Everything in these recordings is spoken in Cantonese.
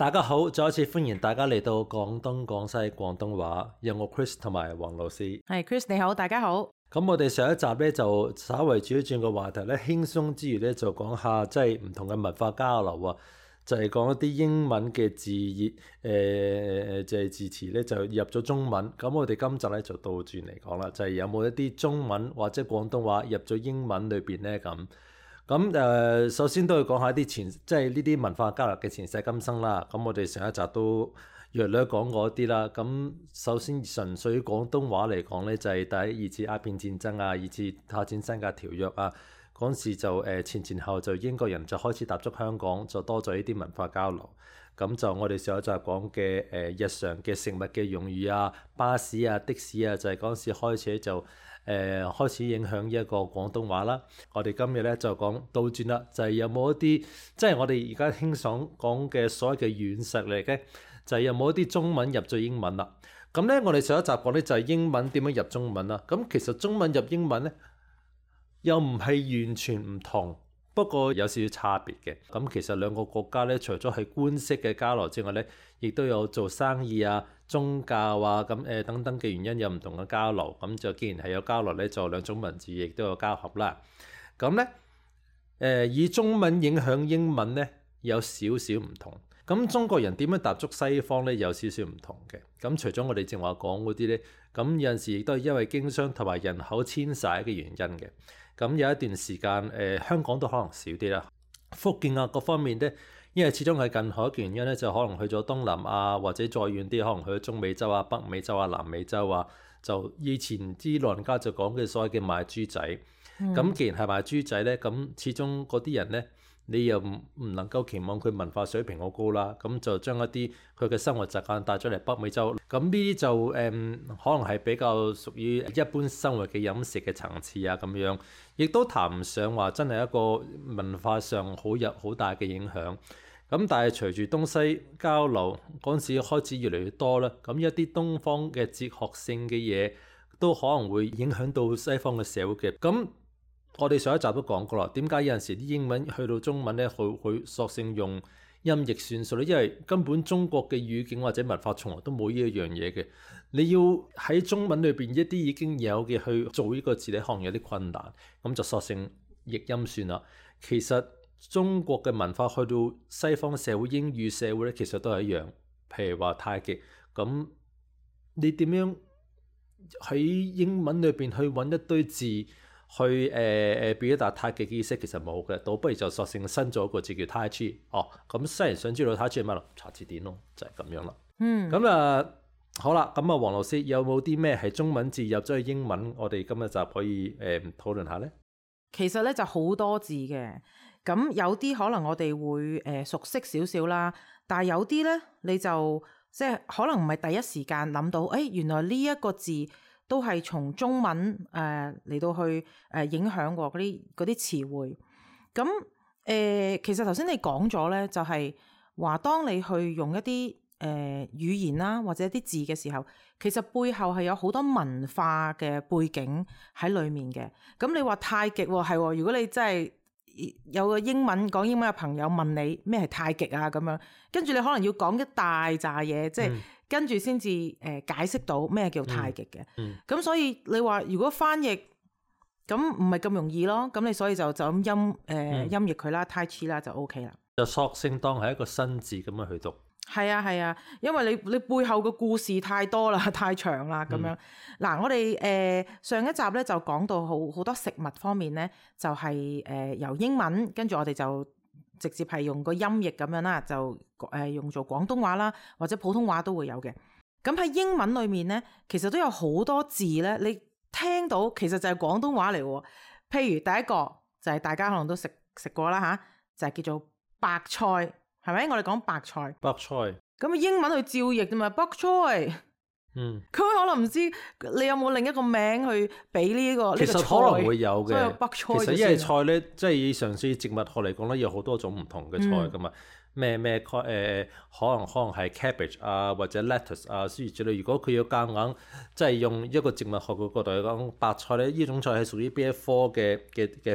大家好，再一次歡迎大家嚟到廣東廣西廣東話，有我 Chris 同埋黃老師。係 Chris 你好，大家好。咁我哋上一集咧就稍微轉一轉個話題咧，輕鬆之餘咧就講下即係唔同嘅文化交流啊，就係講一啲英文嘅字義，就係字詞咧就入咗中文。咁我哋今集咧就倒轉嚟講啦，就係有冇一啲中文或者廣東話入咗英文裏邊咧咁。咁首先都要講下啲即係呢啲文化交流嘅前世今生啦。咁我哋上一集都略略講過一啲啦。咁首先純粹廣東話嚟講咧，就係第一二次鴉片戰爭啊，二次泰戰新界條約啊，嗰陣時就前後就英國人就開始踏足香港，就多咗呢啲文化交流。咁就我哋上一集講嘅日常嘅食物嘅用語啊，巴士啊、的士啊，就係嗰陣時開始就開始影響呢一個廣東話啦。我哋今日咧就講倒轉啦，就係有冇一啲即係我哋而家輕爽講嘅所謂嘅軟實力嘅，就係有冇一啲中文入咗英文啦。咁咧我哋上一集講咧就係英文點樣入中文啦。咁其實中文入英文咧又唔係完全唔同。不過有少少差別嘅，咁其實兩個國家咧，除咗係官式嘅交流之外咧，亦都有做生意啊、宗教啊咁等等嘅原因有唔同嘅交流。咁就既然係有交流咧，就兩種文字亦都有交合啦。咁咧以中文影響英文咧有少少唔同。咁中國人點樣踏足西方咧有少少唔同嘅。咁除咗我哋正話講嗰啲咧，咁有陣時亦都係因為經商同埋人口遷徙嘅原因嘅。咁有一段時間香港都可能少啲啦。福建啊各方面咧，因為始終係近海嘅原因咧，就可能去咗東南亞或者再遠啲，可能去咗中美洲啊、北美洲啊、南美洲啊。就以前啲老人家就講嘅所謂嘅賣豬仔。咁既然係賣豬仔咧，咁始終嗰啲人咧，你又唔能夠期望佢文化水平好高啦。咁就將一啲佢嘅生活習慣帶咗嚟北美洲。咁呢啲就可能係比較屬於一般生活嘅飲食嘅層次啊咁樣，亦都談唔上話真係一個文化上好大嘅影響。咁但係隨住東西交流嗰陣時開始越嚟越多啦，咁一啲東方嘅哲學性嘅嘢都可能會影響到西方嘅社會嘅。咁我哋上一集都講過啦，點解有陣時啲英文去到中文咧，佢索性用音譯算數咧？因為根本中國嘅語境或者文化從來都冇呢一樣嘢嘅，你要喺中文裏邊一啲已經有嘅去做呢個字咧，可能有啲困難，咁就索性譯音算啦。其實中國嘅文化去到西方社會、英語社會咧，其實都係一樣。譬如話太極，咁你點樣喺英文裏邊去揾一堆字？去表達太極嘅意思其實冇嘅，倒不如就索性新咗一個字叫 Tai Chi。咁西人想知道 Tai Chi 係乜咯？查字典咯，就係咁樣啦。咁好啦，咁黃老師有冇啲咩係中文字入咗去英文？我哋今日就可以討論下咧。其實咧就好多字嘅，咁有啲可能我哋會熟悉少少啦，但係有啲咧你就即係可能唔係第一時間諗到，原來呢一個字都係從中文嚟到去影響過嗰啲詞彙。咁其實頭先你講咗咧，就係話當你去用一啲語言啦或者一啲字嘅時候，其實背後係有好多文化嘅背景喺裡面嘅。咁你話太極係，如果你真係有個講英文嘅朋友問你咩係太極啊咁樣，跟住你可能要講一大扎嘢，即係跟住先至解釋到咩叫太極嘅。咁所以你話如果翻譯咁唔係咁容易咯，咁你所以就咁音譯佢啦，Tai Chi啦就 OK 啦。就索性當係一個新字咁樣去讀。係啊，因為你背後嘅故事太多啦，太長啦咁樣。嗱，我哋上一集咧就講到好多食物方面咧，就係由英文跟住我哋就直接係用個音譯咁樣啦，就用做廣東話啦，或者普通話都會有嘅。咁喺英文裏面咧，其實都有好多字咧，你聽到其實就係廣東話嚟喎。譬如第一個就係大家可能都食過啦嚇，就係叫做白菜，係咪？我哋講白菜。白菜。咁英文去照譯啫嘛，白菜。佢可能唔知你有冇另一個名去俾呢個菜。其實可能會有嘅。白菜其實因為菜咧，即係以上次植物學嚟講咧，有好多種唔同嘅菜噶嘛。咩可能係 cabbage 啊，或者 lettuce 啊諸如此類。如果佢要夾硬即係用一個植物學嘅角度嚟講，白菜咧呢種菜係屬於邊一科嘅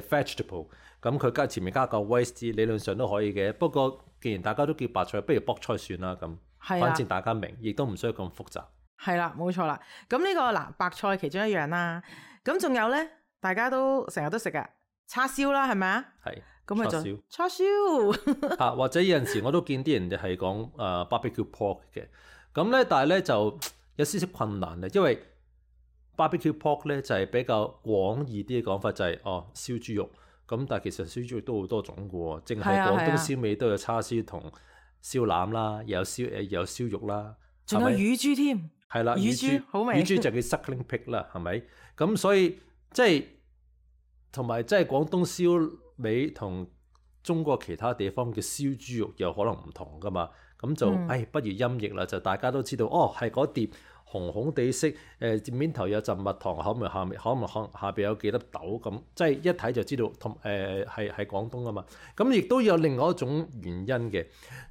vegetable，咁佢前面加個 waste 理論上都可以嘅。不過既然大家都叫白菜，不如卜菜算啦咁。係啊反正大家明，亦都唔需要咁複雜。係啦，冇錯啦。咁呢個嗱白菜其中一樣啦。咁仲有咧，大家都成日都食噶叉燒啦，係咪啊？係。咁咪就叉燒叉燒或者有陣時我都見啲人係講barbecue pork 嘅，咁咧但係咧就有少少困難嘅，因為 barbecue pork 咧就係比較廣義啲嘅講法，就係燒豬肉。咁但係其實燒豬肉都好多種嘅喎，淨係廣東燒味都有叉燒同燒腩啦，又有燒肉啦，仲有乳豬添。係啦，乳豬好味。乳豬就叫 suckling pig 啦，係咪？咁所以即係同埋即係廣東燒味同中國其他地方嘅燒豬肉有可能唔同噶嘛，咁就不如音譯啦，就大家都知道係嗰碟紅紅地色面頭有陣蜜糖，可能下邊有幾粒豆咁，即係一睇就知道同係廣東啊嘛。咁亦都有另外一種原因嘅，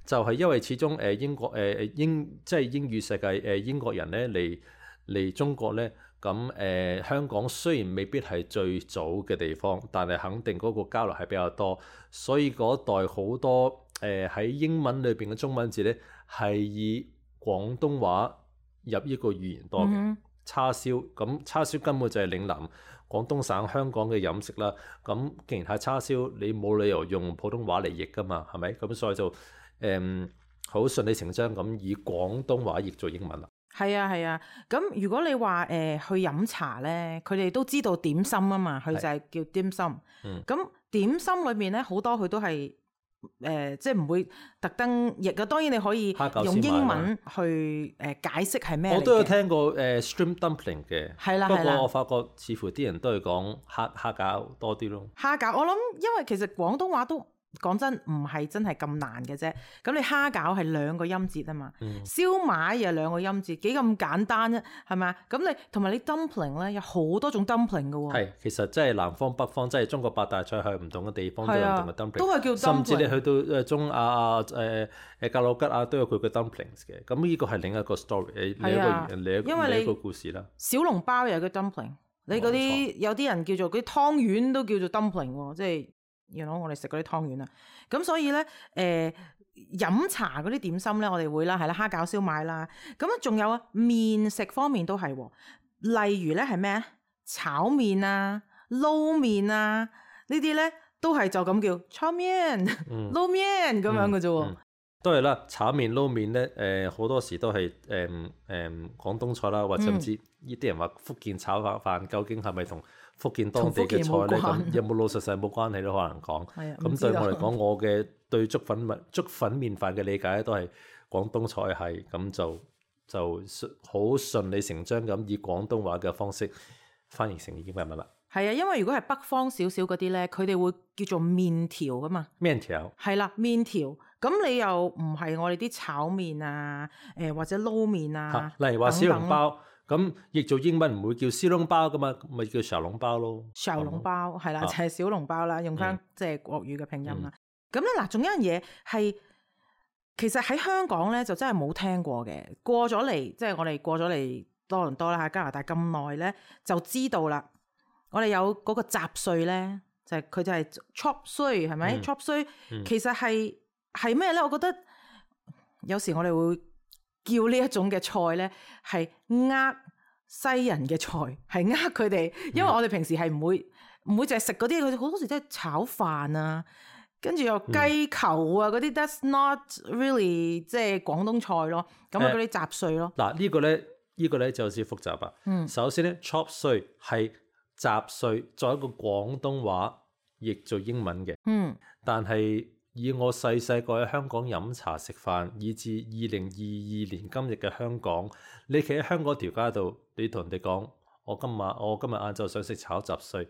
就係因為始終英國即係英語世界英國人咧嚟中國咧。咁香港雖然未必係最早嘅地方，但係肯定嗰個交流係比較多，所以嗰代好多喺英文裏邊嘅中文字咧係以廣東話入呢個語言多嘅。叉燒，咁叉燒根本就係嶺南廣東省香港嘅飲食啦。咁既然係叉燒，你冇理由用普通話嚟譯噶嘛，係咪？咁所以就好順理成章咁以廣東話譯做英文啦。係啊係啊，咁如果你話去飲茶咧，佢哋都知道點心啊嘛，佢就係叫點心。咁點心裏面咧好多佢都係即係唔會特登譯啊。當然你可以用英文去解釋係咩嚟嘅。我都有聽過shrimp dumpling 嘅，係啦，不過我發覺似乎啲人都係講蝦餃多啲咯。蝦餃我諗，因為其實廣東話都講真唔係真係咁難嘅啫。咁你蝦餃係兩個音節啊嘛，燒賣又兩個音節，幾咁簡單啫，係咪啊？咁你同埋你 dumpling 咧有好多種 dumpling 嘅喎。係，其實即係南方北方，即係中國八大菜系唔同嘅地方都有唔同嘅 dumpling，都係叫 dumpling。甚至你去到中亞格魯吉亞都有佢嘅 dumplings 嘅。咁呢個係另一個 story，另一個故事啦。小籠包又有個 dumpling， 你嗰啲有啲人叫做嗰啲湯圓都叫做 dumpling 喎，即係。我哋食嗰啲湯圓啊，咁所以咧飲茶嗰啲點心咧，我哋會啦，係啦，蝦餃燒賣啦，咁啊仲有啊麵食方面都係喎，例如咧係咩炒麵啊、撈麵啊呢啲咧都係就咁叫炒麵、撈麵咁樣嘅啫喎。都係啦，炒麵撈麵咧好多時都係廣東菜啦，或者甚至呢啲人話福建炒飯究竟係咪同福建當地嘅菜咧，咁有冇老實實冇關係都可能講。咁對我嚟講，我嘅對粥粉麵飯嘅理解都係廣東菜係，咁就好順理成章咁以廣東話嘅方式翻譯成英文啦。係啊，因為如果係北方少少嗰啲咧，佢哋會叫做麵條噶嘛。麵條係啦，麵條。咁你又唔係我哋啲炒麵啊，或者撈麵啊，例如話小籠包。咁譯做英文唔會叫燒籠包噶嘛，咪叫小籠包咯。小籠包係啦，就係小籠包啦，用翻即係國語嘅拼音啦。咁咧嗱，仲有一樣嘢係，其實喺香港咧就真係冇聽過嘅。過咗嚟，即係我哋過咗嚟多倫多啦，喺加拿大咁耐咧，就知道啦。我哋有嗰個雜碎咧，就係佢就係 chop 碎，係咪 chop 碎？其實係咩咧？我覺得有時我哋會叫呢一種嘅菜咧，係西人嘅菜，係佢哋，因為我哋平時係唔會淨係食嗰啲，佢哋好多時都係炒飯啊，跟住又雞球啊嗰啲，that's not really 即係廣東菜咯。咁啊嗰啲雜碎咯。嗱呢個咧就有少少複雜啊。首先咧 chop 碎係雜碎，作為一個廣東話譯做英文嘅。但係以我細個喺香港飲茶食飯，以至2022年今日嘅香港，你企喺香港條街度，你同人哋講：我今日晏晝想食炒雜碎。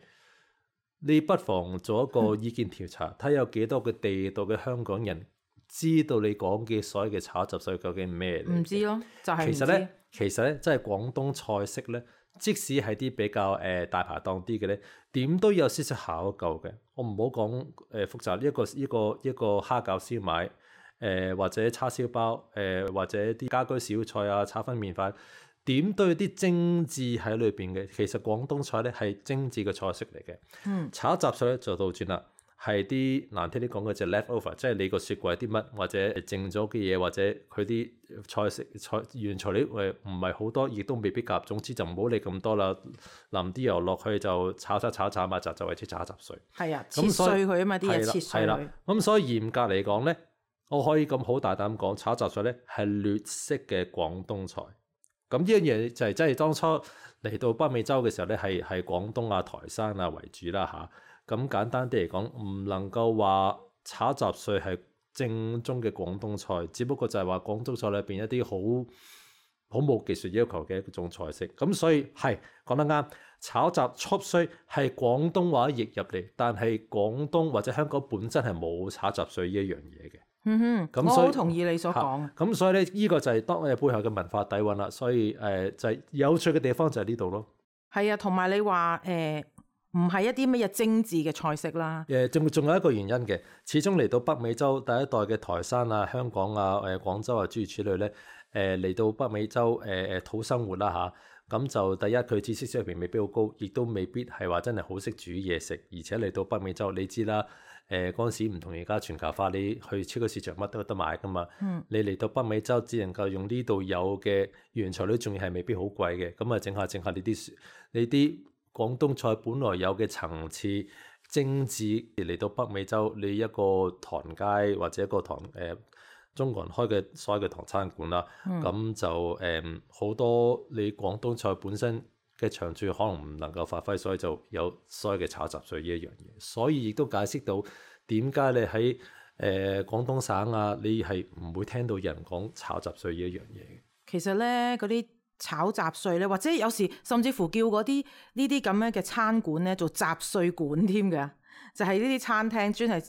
你不妨做一個意見調查，睇有幾多個地道嘅香港人知道你講嘅所謂嘅炒雜碎究竟係咩嚟？唔知咯，就係唔知。其實咧，真係廣東菜式咧。即使係啲比較大排檔啲嘅咧，點都有少少考究嘅。我唔好講複雜，一個蝦餃燒賣，或者叉燒包，或者啲家居小菜啊，炒粉麵飯，點都有啲精緻喺裏邊嘅。其實廣東菜咧係精緻嘅菜式嚟嘅。炒雜碎咧就倒轉啦。係啲難聽啲講嘅就 leftover，即係你個雪櫃啲乜或者剩咗嘅嘢，或者佢啲菜原材料唔係好多，亦都未必夾。總之就唔好理咁多啦，淋啲油落去就炒埋就為之炒雜碎。係啊，切碎佢啊嘛，啲嘢切碎佢。係啦，咁所以嚴格嚟講咧，我可以咁好大膽講，炒雜碎咧係劣色嘅廣東菜。咁呢樣嘢就係真係當初嚟到北美洲嘅時候咧，係廣東啊、台山啊為主啦嚇。咁簡單啲嚟講，唔能夠話炒雜碎係正宗嘅廣東菜，只不過就係話廣東菜裏邊一啲好冇技術要求嘅一種菜式。咁所以係講得啱，炒雜 chop 碎係廣東話譯入嚟，但係廣東或者香港本身係冇炒雜碎呢一樣嘢嘅。我好同意你所講。咁所以咧，呢個就係當背後嘅文化底蘊啦。所以就係有趣嘅地方就係呢度咯。係啊，同埋你話唔係一啲乜嘢精緻嘅菜式啦。仲有一個原因嘅，始終嚟到北美洲第一代嘅台山啊、香港啊、廣州啊諸如此類咧，嚟到北美洲討生活啦嚇。咁就第一佢知識水平未必好高，亦都未必係話真係好識煮嘢食，而且嚟到北美洲你知啦。嗰陣時唔同而家全球化，你去超級市場乜都有得買噶嘛。你嚟到北美洲只能夠用呢度有嘅原材料，仲要係未必好貴嘅。咁啊，整下你啲廣東菜本來有嘅層次精緻，嚟到北美洲你一個唐街或者一個中國人開嘅所謂嘅唐餐館啦，咁就好多你廣東菜本身嘅長處可能唔能夠發揮，所以就有所謂嘅炒雜碎呢一樣嘢，所以亦都解釋到點解你喺廣東省啊，你係唔會聽到人講炒雜碎呢一樣嘢嘅。其實咧，嗰啲炒雜碎咧，或者有時甚至乎叫嗰啲呢啲咁樣嘅餐館咧做雜碎館添嘅，就係呢啲餐廳專係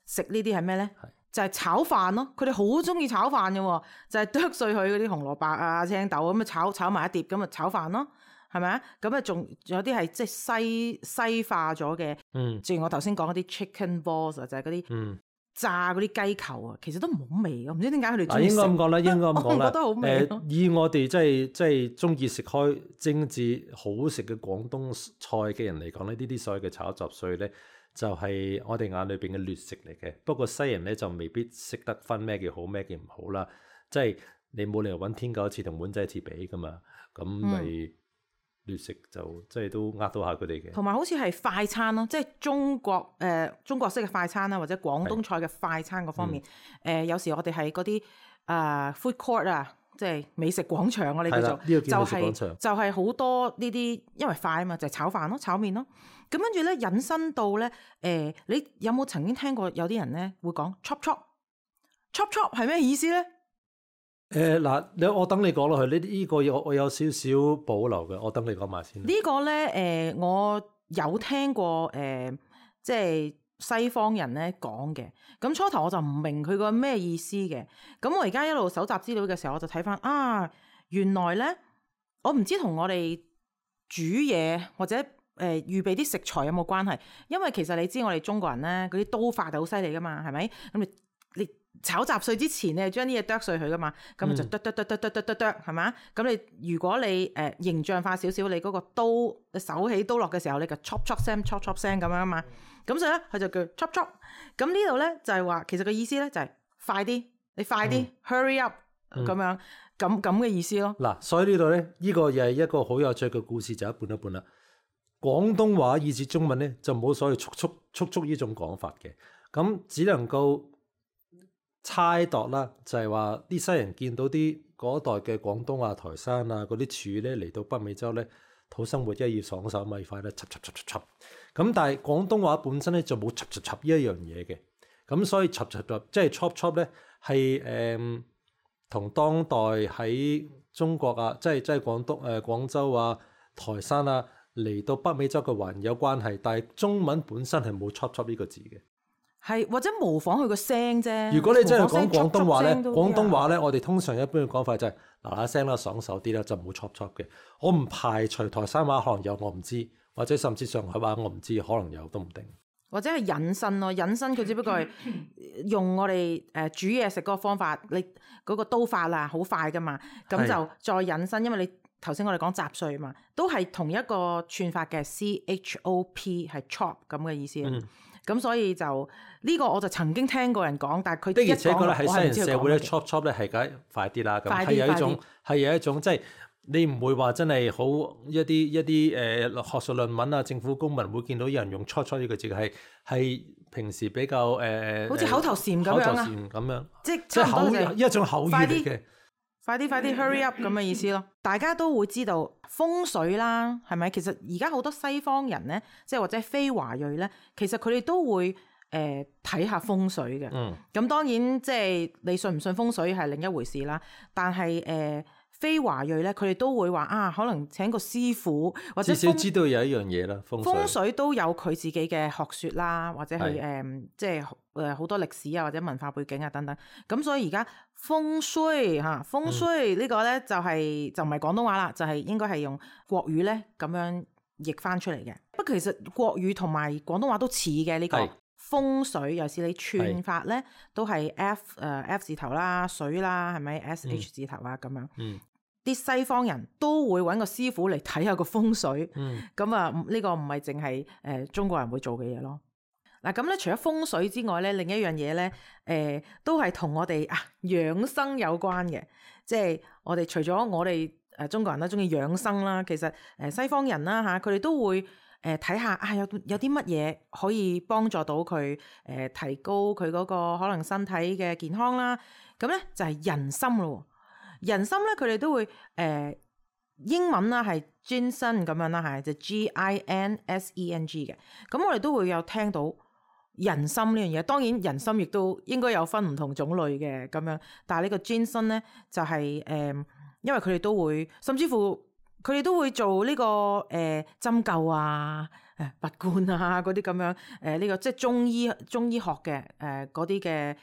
食呢啲係咩咧？就係炒飯咯，佢哋好中意炒飯嘅喎，就係剁碎佢嗰啲紅蘿蔔啊、青豆咁啊炒埋一碟咁啊炒飯咯。係咪啊？咁啊，仲有啲係即係西化咗嘅。正如我頭先講嗰啲 chicken balls 就係嗰啲炸嗰啲雞球啊，其實都唔好味嘅。唔知點解佢哋中意食。應該咁講啦，我覺得好味。以我哋即係中意食開精緻好食嘅廣東菜嘅人嚟講咧，呢啲所謂嘅炒雜碎咧，就係我哋眼裏邊嘅劣食嚟嘅。不過西人咧就未必識得分咩叫好咩叫唔好啦。即係你冇理由揾天狗一次同碗仔一次比噶嘛，咁咪。劣食就即係都呃到下佢哋嘅，同埋好似係快餐咯，即係中國式嘅快餐啦，或者廣東菜嘅快餐嗰方面。有時我哋係嗰啲food court 啊，即係美食廣場我哋叫做，就係好多呢啲，因為快啊嘛，就係炒飯咯、炒麵咯。咁跟住咧引申到咧，你有冇曾經聽過有啲人咧會講 chop chop 係咩意思咧？嗱，我等你講落去，呢個我有少少保留嘅，我等你講埋先。呢個咧，我有聽過即係西方人咧講嘅。咁初頭我就唔明佢個咩意思嘅。咁我而家一路搜集資料嘅時候，我就睇翻原來咧，我唔知同我哋煮嘢或者預備啲食材有冇關係？因為其實你知我哋中國人咧嗰啲刀法係好犀利噶嘛，係咪？咁你炒雜碎之前，你係將啲嘢剁碎佢噶嘛，咁就剁，係嘛？咁你如果你形象化少少，你嗰個刀手起刀落嘅時候，你就 chop 聲咁樣啊嘛。咁所以咧，佢就叫 chop。咁呢度咧就係話，其實個意思咧就係快啲，你快啲 hurry up 咁樣咁嘅意思咯。嗱，所以呢度咧，呢個又係一個好有趣嘅故事，就一半一半啦。廣東話以至中文咧就冇所謂速呢種講法嘅，咁只能夠猜度啦，就係話啲西人見到啲嗰代嘅廣東啊、台山啊嗰啲柱咧嚟到北美洲咧討生活，要爽手咪快咧，插。咁但係廣東話本身咧就冇插呢一樣嘢嘅，咁所以插即係 chop 咧係同當代喺中國啊，即係廣州啊、台山啊嚟到北美洲嘅環有關係，但係中文本身係冇 chop 呢個字嘅。係或者模仿佢個聲啫。如果你真係講廣東話咧，廣東話咧，我哋通常一般嘅講法就係嗱聲啦，爽手啲啦，就唔好 chop 嘅。我唔排除台山話可能有，我唔知，或者甚至上海話我唔知，可能有都唔定。或者係引申咯，引申佢只不過係用我哋煮嘢食嗰個方法，你嗰個刀法啊好快噶嘛，咁就再引申，因為你頭先我哋講雜碎嘛，都係同一個串法嘅 chop 係 chop 咁嘅意思。咁所以就呢個我就曾經聽過人講，但係佢的而且確咧喺西人社會咧，chop chop chop 咧係梗係快啲啦，咁快啲係有一快啲種係有一種即係你唔會話真係好一啲學術論文啊，政府公文會見到有人用 chop chop 呢個字係平時比較好似口頭禪咁口頭樣啊，禪咁樣，即係即係差唔多就係一種口語嚟嘅。快啲 hurry up 咁嘅意思咯。大家都會知道風水啦，係咪？其實而家好多西方人咧，即係或者非華裔咧，其實佢哋都會睇下風水嘅。咁當然即係你信唔信風水係另一回事啦。但係非華裔咧，佢哋都會話啊，可能請個師傅或者至少知道有一樣嘢啦，風水都有佢自己嘅學説啦，或者係即係好多歷史啊或者文化背景啊等等。咁所以而家風水風水呢個咧就唔係廣東話啦，就係應該係用國語咧咁樣譯翻出嚟嘅。不過其實國語同埋廣東話都似嘅呢個風水，尤其是你串法咧都係 F 字頭啦、水啦，係咪 SH 字頭啊咁樣。啲西方人都會揾個師傅嚟睇下個風水，咁啊呢個唔係淨係中國人會做嘅嘢咯。嗱咁咧，除咗風水之外咧，另一樣嘢咧，都係同我哋養生有關嘅。即係我哋除咗我哋中國人啦，中意養生啦，其實西方人啦嚇，佢哋都會睇下有啲乜嘢可以幫助到佢提高佢嗰個可能身體嘅健康啦。咁咧就係人參咯。人參咧，佢哋都會英文啦係 ginseng 咁樣啦，係就 GINSENG 嘅。咁我哋都會有聽到人參呢樣嘢。當然人參亦都應該有分唔同種類嘅咁樣，但係呢個 ginseng 咧就係因為佢哋都會，甚至乎佢哋都會做呢個針灸啊、拔罐啊嗰啲咁樣呢個即係中醫學嘅嗰啲嘅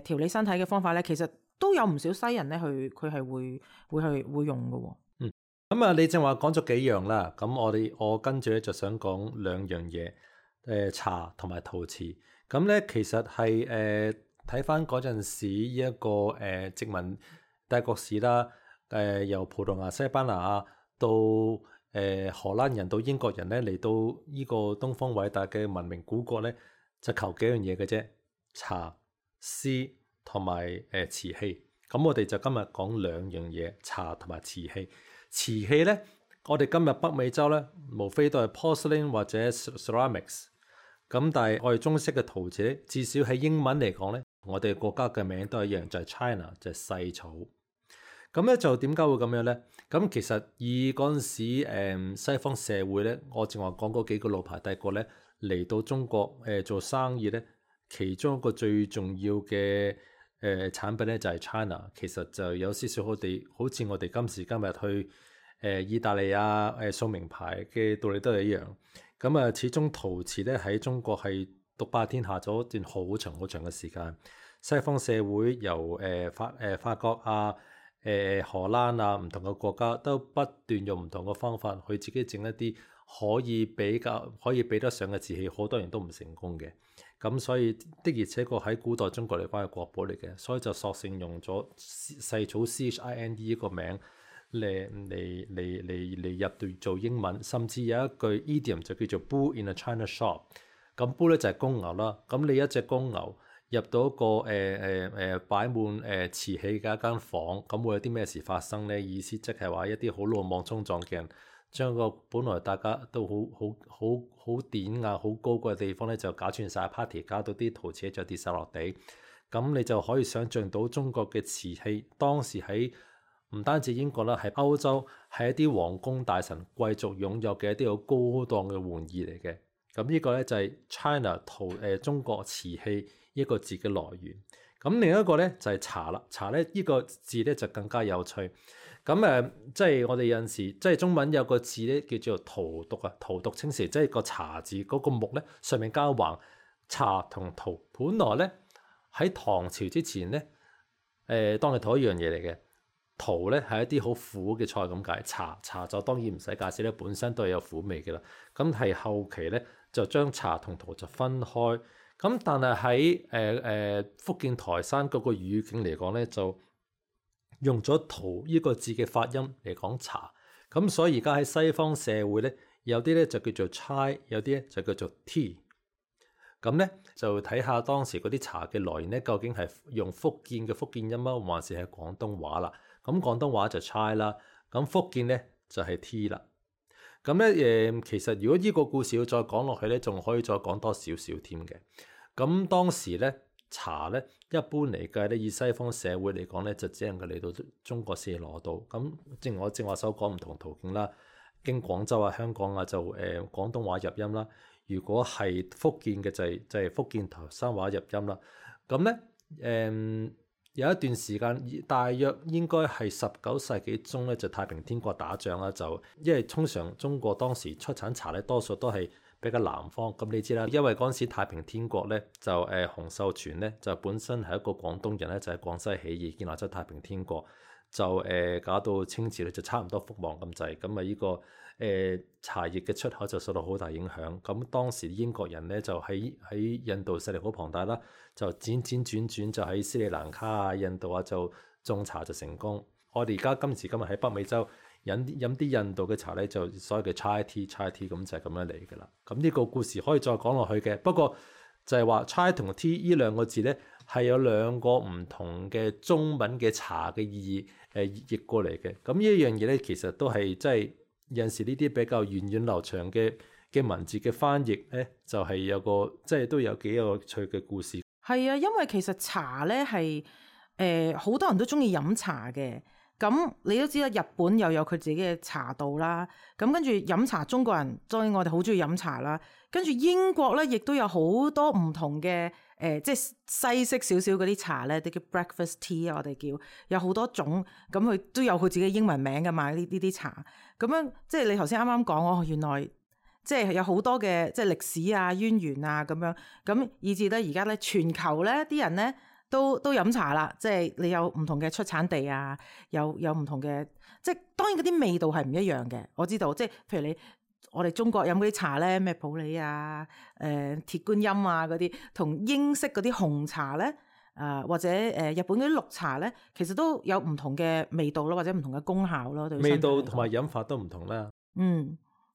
調理身體嘅方法咧，其實都有唔少西人咧，佢係會用嘅喎。咁啊，你正話講咗幾樣啦，咁我跟住咧就想講兩樣嘢，茶同埋陶瓷。咁咧其實係睇翻嗰陣時一個殖民帝國史啦，由葡萄牙、西班牙到荷蘭人到英國人咧嚟到呢個東方偉大嘅文明古國咧，就求幾樣嘢嘅啫，茶、絲同埋瓷器。咁我哋就今日講兩樣嘢，茶同埋瓷器。瓷器咧，我哋今日北美洲咧，無非都係 porcelain 或者 ceramics。咁但係我哋中式嘅陶瓷咧，至少喺英文嚟講咧，我哋國家嘅名都係一樣，就係 China，就係細草。咁咧就點解會咁樣咧？咁其實以嗰陣時西方社會咧，我正話講嗰幾個老牌帝國咧嚟到中國做生意咧，其中一個最重要嘅產品咧就係 China。其實就有少少好似我哋今時今日去意大利送名牌嘅道理都係一樣。咁始終陶瓷咧喺中國係獨霸天下咗一段好長好長嘅時間。西方社會由法國荷蘭唔同嘅國家都不斷用唔同嘅方法去自己整一啲可以比得上嘅瓷器，好多人都唔成功嘅。咁所以的而且確喺古代中國嚟講係國寶嚟嘅，所以就索性用咗細草 CHIND 呢個名嚟入到做英文，甚至有一句 idiom 就叫做 Bull in a China shop。咁 Bull 咧就係公牛啦。咁你一隻公牛入到一個擺滿瓷器嘅一間房，咁會有啲咩事發生咧？意思即係話一啲好魯莽衝撞嘅人，將個本來大家都好典雅、好高貴嘅地方咧，就搞串晒 party， 搞到啲陶瓷就跌晒落地。咁你就可以想像到中國嘅瓷器當時喺唔單止英國啦，喺歐洲係一啲皇宮大臣貴族擁有嘅一啲好高檔嘅玩意嚟嘅。咁呢個咧就係 China 中國瓷器一個字嘅來源。咁另一個咧就係茶啦。茶咧呢個字咧就更加有趣。咁即係我哋有陣時即係中文有個字咧叫做荼毒啊，荼毒青蛇，即係個茶字嗰個木咧上面加橫，茶同荼。本來咧喺唐朝之前咧當係同一樣嘢嚟嘅。荼咧係一啲好苦嘅菜咁解，茶就當然唔使介紹咧，本身都係有苦味嘅啦。咁係後期咧就將茶同荼就分開。咁但係喺福建台山嗰個語境嚟講咧，就用咗荼呢個字嘅發音嚟講茶。咁所以而家喺西方社會咧，有啲咧就叫做 chai，有啲咧就叫做 tea。咁咧就睇下當時嗰啲茶嘅來源咧，究竟係用福建嘅福建音啊，還是係廣東話啦？咁廣東話就 chai 啦，咁福建咧就係 tea 啦。咁咧其實如果呢個故事要再講落去咧，仲可以再講多少少添嘅。咁當時咧茶咧一般嚟計咧，以西方社會嚟講咧，就只能夠嚟到中國先攞到。咁正如我正話所講唔同途徑啦，經廣州啊、香港啊就廣東話入音啦。如果係福建嘅就係福建台山話入音啦。咁咧有一段時間，大約應該係19世紀中咧，就太平天國打仗啦，就因為通常中國當時出產茶咧，多數都係比較南方。咁你知啦，因為嗰陣時太平天國咧就洪秀全咧就本身係一個廣東人咧，就喺廣西起義建立咗太平天國，就搞到清朝咧就差唔多覆亡咁滯。咁啊呢個茶葉嘅出口就受到好大影響。咁當時英國人咧就喺印度勢力好龐大啦，就轉就喺斯里蘭卡啊、印度啊就種茶就成功。我哋而家今時今日喺北美洲飲啲印度嘅茶咧，就所謂嘅 chai tea 咁就係咁樣嚟㗎啦。咁呢個故事可以再講落去嘅，不過就係話 chai 同 tea 呢兩個字咧係有兩個唔同嘅中文嘅茶嘅意義譯過嚟嘅。咁呢一樣嘢咧其實都係即係有陣時呢啲比較源遠流長嘅文字嘅翻譯咧，就係有個即係都有幾有趣嘅故事。係啊，因為其實茶咧係好多人都中意飲茶嘅。咁你都知啦，日本又有佢自己嘅茶道啦。咁跟住飲茶，中國人當然我哋好中意飲茶啦。跟住英國咧，亦都有好多唔同嘅即係西式少少嗰啲茶咧，啲叫 breakfast tea 啊，我哋叫有好多種。咁佢都有佢自己英文名㗎嘛，呢啲茶。咁樣即係你頭先啱啱講哦，原來即係有好多嘅即係歷史啊、淵源啊咁樣。咁以至咧而家咧全球咧啲人咧都飲茶啦，即係你有唔同嘅出產地啊，有唔同嘅，即係當然嗰啲味道係唔一樣嘅。我知道，即係譬如我哋中國飲嗰啲茶咧，咩普洱啊、鐵觀音啊嗰啲，同英式嗰啲紅茶咧，或者日本嗰啲綠茶咧，其實都有唔同嘅味道咯，或者唔同嘅功效咯。對味道同埋飲法都唔同啦。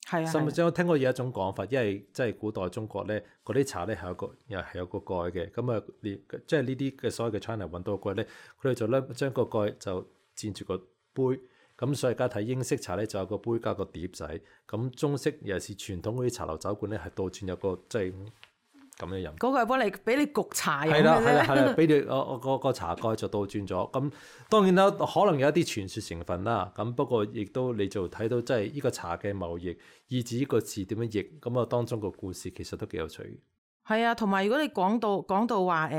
係啊。甚至我聽過有一種講法，因為即係古代中國咧，嗰啲茶咧係有個蓋嘅。咁啊，即係呢啲嘅所謂嘅 China 揾到個蓋咧，佢哋就咧將個蓋就佔住個杯。咁所以而家睇英式茶咧，就有個杯加個碟仔。咁中式尤其是傳統嗰啲茶樓酒館咧，係倒轉有個即係咁樣飲。嗰個係幫你俾你焗茶飲嘅啫。係啦，俾你個茶蓋就倒轉咗。咁當然啦，可能有一啲傳說成分啦。咁不過亦都你就睇到即係呢個茶嘅貿易，以至呢個字點樣譯。咁啊，當中個故事其實都幾有趣嘅。係啊，同埋如果你講到話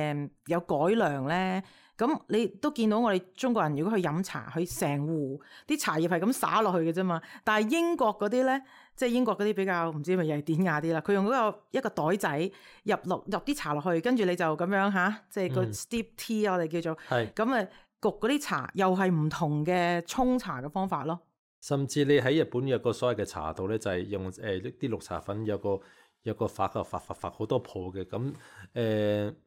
有改良咧，咁你都見到我哋中國人如果去飲茶，佢成壺啲茶葉係咁灑落去嘅啫嘛。但係英國嗰啲咧，即係英國嗰啲比較唔知係咪又係典雅啲啦。佢用一個袋仔入啲茶落去，跟住你就咁樣即係個 steep tea 我哋叫做係咁啊，焗嗰啲茶又係唔同嘅沖茶嘅方法咯。甚至你喺日本有個所謂嘅茶道咧，就係用啲綠茶粉有個發好多泡嘅。咁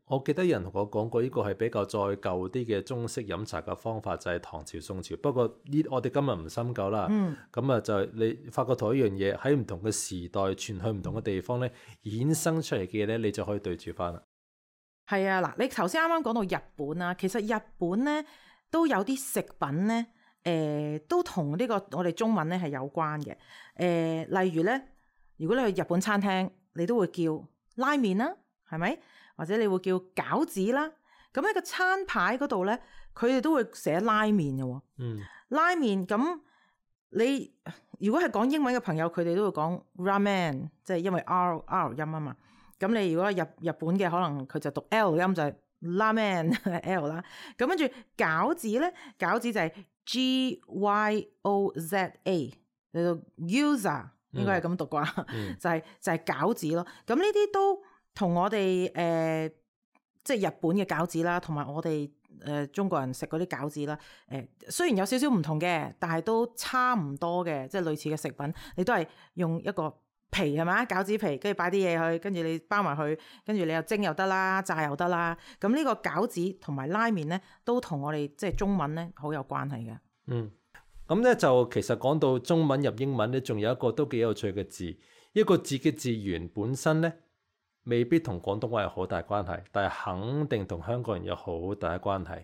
我記得有人同我講過，呢個係比較再舊啲嘅中式飲茶嘅方法，就係唐朝宋朝。不過我哋今日唔深究啦。咁啊就你發覺同一樣嘢喺唔同嘅時代傳去唔同嘅地方咧，衍生出嚟嘅嘢咧，你就可以對住翻啦。係啊，嗱，你頭先啱啱講到日本啦，其實日本咧都有啲食品咧，都同呢個我哋中文咧係有關嘅。例如咧，如果你去日本餐廳，你都會叫拉麵啦，係咪？或者你會叫餃子啦。咁喺個餐牌嗰度咧，佢哋都會寫拉麵嘅喎。拉麵咁你如果係講英文嘅朋友，佢哋都會講 ramen， 即係因為 R 音啊嘛。咁你如果日本嘅，可能佢就讀 L 音，就係 ramen L 啦。咁跟住餃子咧，餃子就係 Gyoza，你讀 Gyoza。應該係咁讀啩，就係餃子咯。咁呢啲都同我哋即係日本嘅餃子啦，同埋我哋中國人食嗰啲餃子啦。雖然有少少唔同嘅，但係都差唔多嘅，即係類似嘅食品。你都係用一個皮係咪？餃子皮，跟住擺啲嘢去，跟住你包埋去，跟住你又蒸又得啦，炸又得啦。咁呢個餃子同埋拉麵咧，都同我哋即係中文咧好有關係嘅。咁咧就其實講到中文入英文咧，仲有一個都幾有趣嘅字，一個字嘅字源本身咧未必同廣東話有好大關係，但係肯定同香港人有好大嘅關係。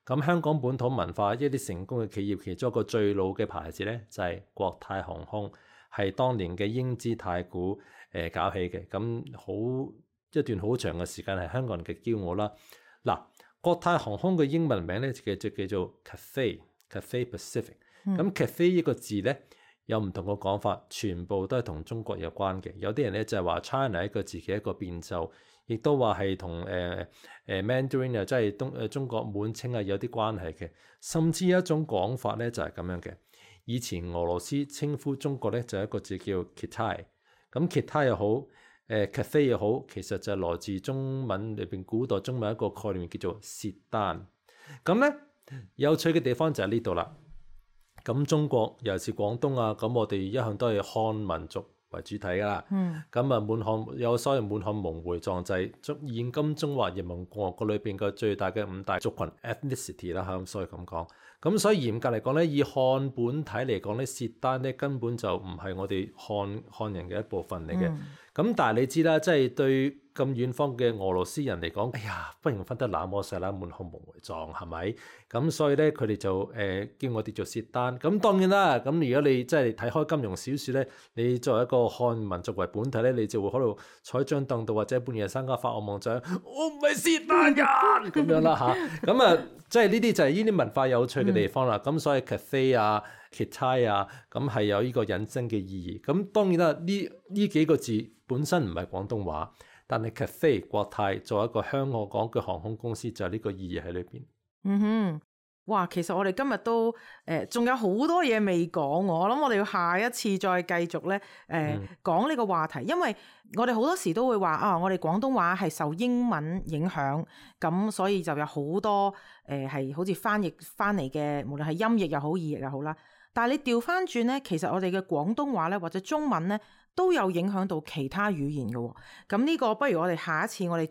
咁香港本土文化一啲成功嘅企業，其中一個最老嘅牌子咧就係國泰航空，係當年嘅英資太古搞起嘅。咁好一段好長嘅時間係香港人嘅驕傲啦。嗱，國泰航空嘅英文名咧就叫做 Cathay Pacific。咁 Cathay 呢個字咧有唔同嘅講法，全部都係同中國有關嘅。有啲人咧就係話 China 一個字嘅一個變奏，亦都話係同Mandarin 啊，即係中國滿清啊有啲關係嘅。甚至有一種講法咧就係咁樣嘅。以前俄羅斯稱呼中國咧就係一個字叫 Kitai， 咁 Kitai 又好Cathay 又好，其實就係來自中文裏邊古代中文一個概念叫做薛丹。咁咧有趣嘅地方就係呢度啦。咁中國尤其是廣東啊，咁我哋一向都係漢民族為主體噶啦。咁啊滿漢有所謂滿漢蒙回壯濟，現今中華人民共和國裏邊嘅最大嘅5大族群 ethnicity 啦，咁所以咁講。咁所以嚴格嚟講咧，以漢本體嚟講咧，薛丹咧根本就唔係我哋漢人嘅一部分嚟嘅。咁但係你知啦，即係對咁遠方嘅俄羅斯人嚟講，哎呀，不如分得那麼細啦，滿漢蒙回壯係咪？咁所以咧，佢哋就叫我哋做薛丹。咁當然啦，咁如果你真係睇開金庸小説咧，你作為一個漢民族為本體咧，你就會喺度坐喺張凳度或者半夜三更發惡夢就我唔係薛丹人咁樣啦嚇。咁啊，即係呢啲就係呢啲文化有趣嘅地方啦。咁所以 Cathay 啊、Kitai 啊，咁係有呢個引申嘅意義。咁當然啦，呢幾個字本身唔係廣東話，但係 Cathay 國泰作為一個香港嘅航空公司，就係呢個意義喺裏邊。哇！其實我哋今日都仲有好多嘢未講，我諗我哋要下一次再繼續咧講呢個話題，因為我哋好多時都會話啊，我哋廣東話係受英文影響，咁所以就有好多係好似翻譯翻嚟嘅，無論係音譯又好意譯又好啦。但係你調翻轉咧，其實我哋嘅廣東話咧或者中文咧都有影響到其他語言嘅喎。咁呢個不如我哋下一次我哋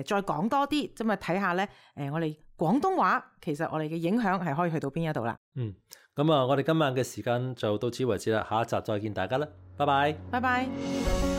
再講多啲，咁啊睇下咧我哋廣東話其實我哋嘅影響係可以去到邊一度啦。咁啊，我哋今晚嘅時間就到此為止啦，下一集再見大家啦，拜拜。拜拜。